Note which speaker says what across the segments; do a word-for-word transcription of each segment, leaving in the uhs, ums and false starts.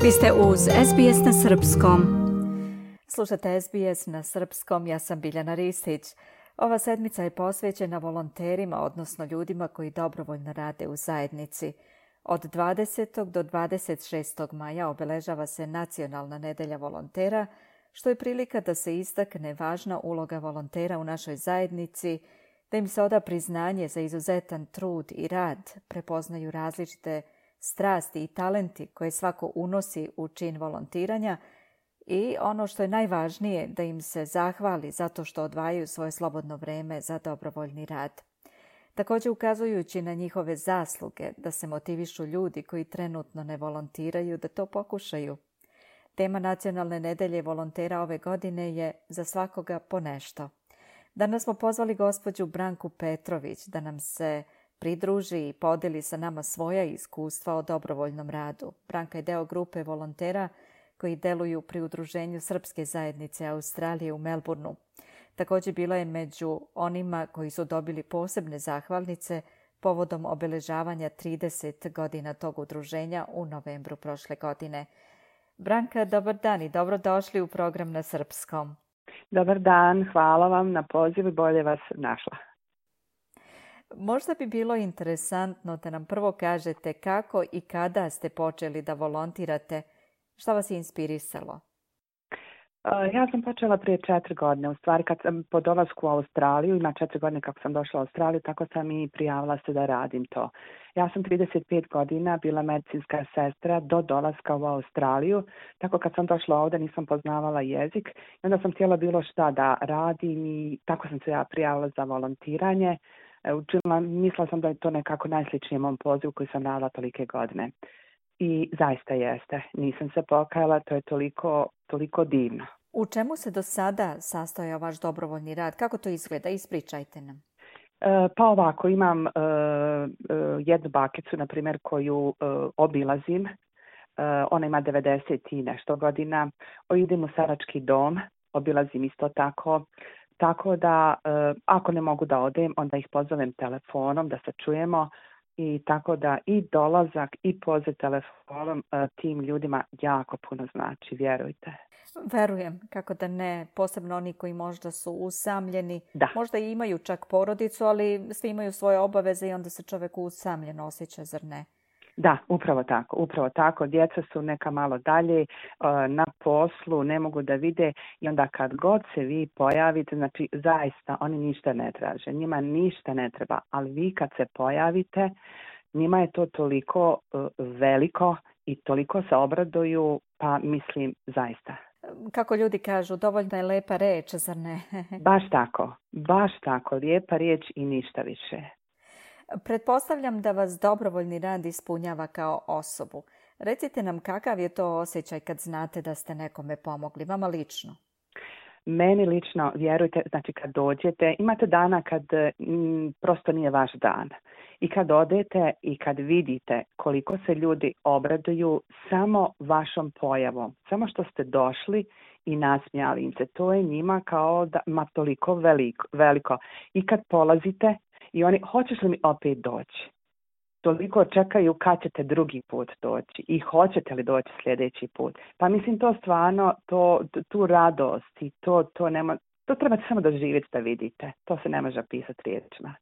Speaker 1: Vi ste uz S B S na srpskom. Slušate S B S na srpskom, ja sam Biljana Ristić. Ova sedmica je posvećena volonterima, odnosno ljudima koji dobrovoljno rade u zajednici. Od dvadesetog do dvadeset šestog maja obeležava se Nacionalna nedelja volontera, što je prilika da se istakne važna uloga volontera u našoj zajednici, da im se oda priznanje za izuzetan trud i rad, prepoznaju različite strasti i talenti koje svako unosi u čin volontiranja i ono što je najvažnije, da im se zahvali zato što odvajaju svoje slobodno vreme za dobrovoljni rad. Također ukazujući na njihove zasluge, da se motivišu ljudi koji trenutno ne volontiraju da to pokušaju. Tema Nacionalne nedelje volontera ove godine je Za svakoga po nešto. Danas smo pozvali gospođu Branku Petrović da nam se pridruži i podeli sa nama svoja iskustva o dobrovoljnom radu. Branka je deo grupe volontera koji deluju pri Udruženju Srpske zajednice Australije u Melbourneu. Također bila je među onima koji su dobili posebne zahvalnice povodom obeležavanja trideset godina tog udruženja u novembru prošle godine. Branka, dobar dan i dobrodošli u program na srpskom.
Speaker 2: Dobar dan, hvala vam na pozivu i bolje vas našla.
Speaker 1: Možda bi bilo interesantno da nam prvo kažete kako i kada ste počeli da volontirate, šta vas je inspirisalo?
Speaker 2: Ja sam počela prije četiri godine, u stvari kad sam po dolasku u Australiju, ima četiri godine kako sam došla u Australiju, tako sam i prijavila se da radim to. Ja sam trideset pet godina bila medicinska sestra do dolaska u Australiju, tako kad sam došla ovdje nisam poznavala jezik i onda sam htjela bilo šta da radim i tako sam se ja prijavila za volontiranje. Učinila, mislila sam da je to nekako najsličnije mom pozivu koji sam radila tolike godine. I zaista jeste. Nisam se pokajala, to je toliko, toliko divno.
Speaker 1: U čemu se do sada sastojao vaš dobrovoljni rad? Kako to izgleda? Ispričajte nam.
Speaker 2: E, pa ovako, imam e, e, jednu bakicu, na primjer, koju e, obilazim. E, ona ima devedeset i nešto godina. O, idem u starački dom, obilazim isto tako. Tako da, e, ako ne mogu da odem, onda ih pozovem telefonom da se čujemo. I tako da i dolazak i poziv telefonom e, tim ljudima jako puno znači, vjerujte.
Speaker 1: Verujem, kako da ne, posebno oni koji možda su usamljeni,
Speaker 2: da.
Speaker 1: Možda i imaju čak porodicu, ali svi imaju svoje obaveze i onda se čovjek usamljeno osjeća, zar ne?
Speaker 2: Da, upravo tako, upravo tako. Djeca su neka malo dalje na poslu, ne mogu da vide i onda kad god se vi pojavite, znači zaista oni ništa ne traže, njima ništa ne treba, ali vi kad se pojavite, njima je to toliko veliko i toliko se obraduju, pa mislim zaista.
Speaker 1: Kako ljudi kažu, dovoljno je lepa reč, zar ne?
Speaker 2: Baš tako, baš tako, lijepa riječ i ništa više.
Speaker 1: Pretpostavljam da vas dobrovoljni rad ispunjava kao osobu. Recite nam kakav je to osjećaj kad znate da ste nekome pomogli, vama lično?
Speaker 2: Meni lično, vjerujte, znači kad dođete, imate dana kad m, prosto nije vaš dan. I kad odete i kad vidite koliko se ljudi obraduju samo vašom pojavom, samo što ste došli i nasmijali im se, to je njima kao da ma toliko veliko, veliko. I kad polazite, i oni, hoćeš li mi opet doći? Toliko čekaju kad ćete drugi put doći i hoćete li doći sljedeći put. Pa mislim to stvarno, to, tu radost i to, to, nema, to trebate samo doživjeti da vidite. To se ne može opisati riječima.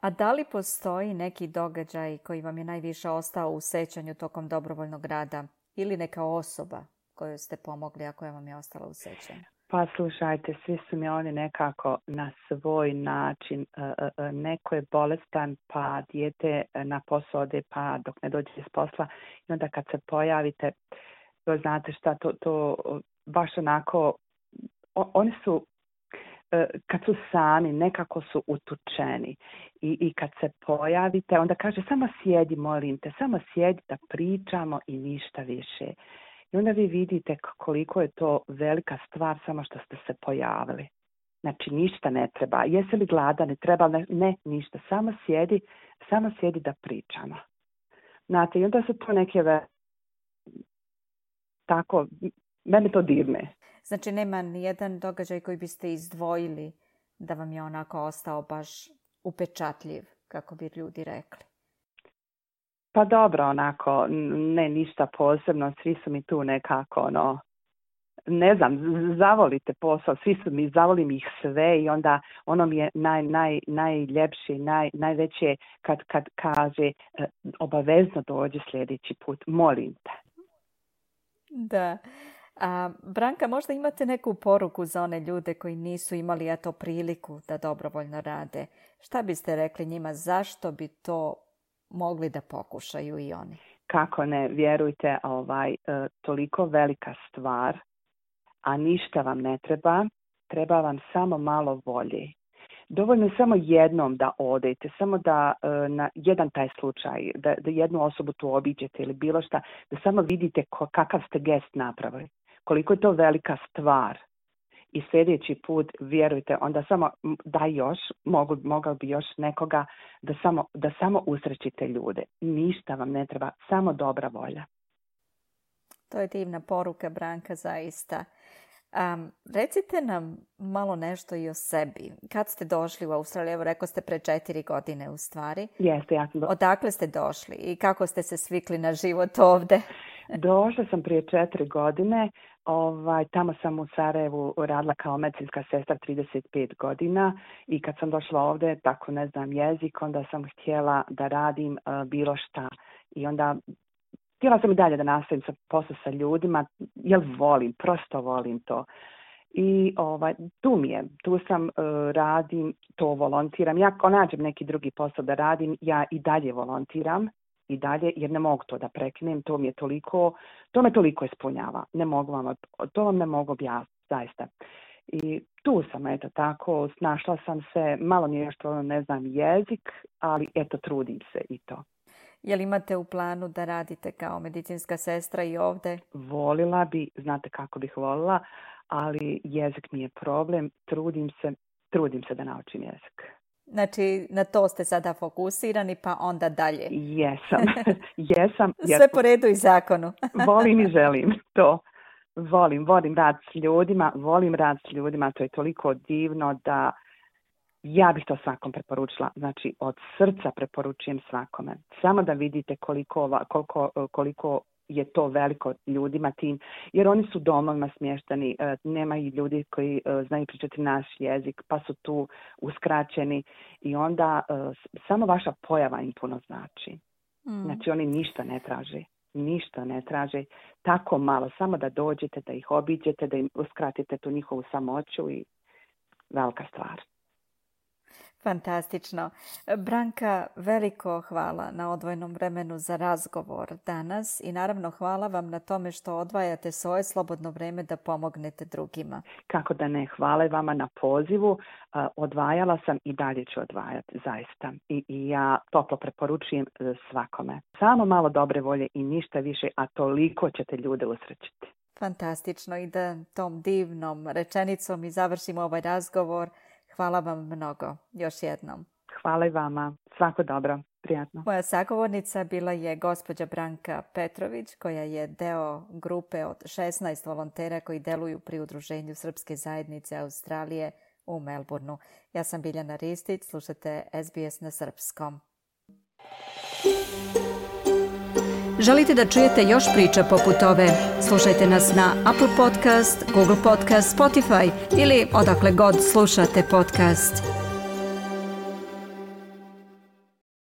Speaker 1: A da li postoji neki događaj koji vam je najviše ostao u sećanju tokom dobrovoljnog rada ili neka osoba koju ste pomogli, a koja vam je ostala u sećanju?
Speaker 2: Pa slušajte, svi su mi oni nekako na svoj način, neko je bolestan pa dijete na posao ode pa dok ne dođe iz posla i onda kad se pojavite, to znate šta, to, to baš onako, oni su, kad su sami, nekako su utučeni i, i kad se pojavite, onda kaže samo sjedi, molim te, samo sjedi da pričamo i ništa više. I onda vi vidite koliko je to velika stvar samo što ste se pojavili. Znači ništa ne treba. Jesi li gladan, ne treba, ne, ne ništa. Samo sjedi, samo sjedi da pričamo. Znate, i onda su to neke ve... tako, mene to dirne.
Speaker 1: Znači nema nijedan događaj koji biste izdvojili da vam je onako ostao baš upečatljiv, kako bi ljudi rekli.
Speaker 2: Pa dobro, onako, ne ništa posebno, svi su mi tu nekako, ono, ne znam, zavolite posao, svi su mi, zavolim ih sve i onda ono mi je naj, naj, najljepše, naj, najveće kad, kad kaže obavezno dođi sljedeći put, molim te.
Speaker 1: Da. A, Branka, možda imate neku poruku za one ljude koji nisu imali eto priliku da dobrovoljno rade. Šta biste rekli njima, zašto bi to mogli da pokušaju i oni?
Speaker 2: Kako ne, vjerujte, ovaj, toliko velika stvar, a ništa vam ne treba, treba vam samo malo volje. Dovoljno je samo jednom da odete, samo da na jedan taj slučaj, da, da jednu osobu tu obiđete ili bilo šta, da samo vidite ko, kakav ste gest napravili, koliko je to velika stvar. I sljedeći put, vjerujte, onda samo da još, mogu, mogao bi još nekoga da samo, da samo usrećite ljude. Ništa vam ne treba, samo dobra volja.
Speaker 1: To je divna poruka, Branka, zaista. Um, recite nam malo nešto i o sebi. Kad ste došli u Australiju? Evo, rekao ste pre četiri godine u stvari.
Speaker 2: Jeste, ja sam do...
Speaker 1: Odakle ste došli i kako ste se svikli na život ovde?
Speaker 2: Došla sam prije četiri godine. Ovaj, tamo sam u Sarajevu radila kao medicinska sestra trideset pet godina i kad sam došla ovdje, tako ne znam jezik, onda sam htjela da radim uh, bilo šta. I onda htjela sam i dalje da nastavim sa posao sa ljudima, jer volim, prosto volim to. I ovaj, tu mi je, tu sam, uh, radim, to volontiram. Ja ako nađem neki drugi posao da radim, ja i dalje volontiram. I dalje, jer ne mogu to da prekinem, to mi je toliko, to me toliko ispunjava. Ne mogu vam, to vam ne mogu objasniti, zaista. I tu sam, eto tako, snašla sam se, malo mi je što ne znam jezik, ali eto, trudim se i to.
Speaker 1: Jel imate u planu da radite kao medicinska sestra i ovdje?
Speaker 2: Volila bi, znate kako bih volila, ali jezik mi je problem, trudim se, trudim se da naučim jezik.
Speaker 1: Znači, na to ste sada fokusirani, pa onda dalje.
Speaker 2: Jesam, jesam.
Speaker 1: Sve po redu i zakonu.
Speaker 2: Volim i želim to. Volim, volim rad s ljudima, volim rad s ljudima, to je toliko divno da ja bih to svakom preporučila. Znači, od srca preporučujem svakome. Samo da vidite koliko, koliko, koliko je to veliko ljudima tim, jer oni su domovima smješteni, nema i ljudi koji znaju pričati naš jezik, pa su tu uskraćeni i onda samo vaša pojava im puno znači. Mm. Znači oni ništa ne traže, ništa ne traže, tako malo, samo da dođete, da ih obiđete, da im uskratite tu njihovu samoću i velika stvar.
Speaker 1: Fantastično. Branka, veliko hvala na odvojenom vremenu za razgovor danas i naravno hvala vam na tome što odvajate svoje slobodno vrijeme da pomognete drugima.
Speaker 2: Kako da ne, hvala vama na pozivu. Odvajala sam i dalje ću odvajati, zaista. I, i ja toplo preporučujem svakome. Samo malo dobre volje i ništa više, a toliko ćete ljude usrećiti.
Speaker 1: Fantastično i da tom divnom rečenicom i završimo ovaj razgovor. Hvala vam mnogo, još jednom.
Speaker 2: Hvala i vama. Svako dobro. Prijatno.
Speaker 1: Moja sagovornica bila je gospođa Branka Petrović, koja je deo grupe od šesnaest volontera koji deluju pri Udruženju Srpske zajednice Australije u Melbourneu. Ja sam Biljana Ristić, slušate S B S na srpskom. Želite da čujete još priča poput ove? Slušajte nas na Apple Podcast, Google Podcast, Spotify ili odakle god slušate podcast.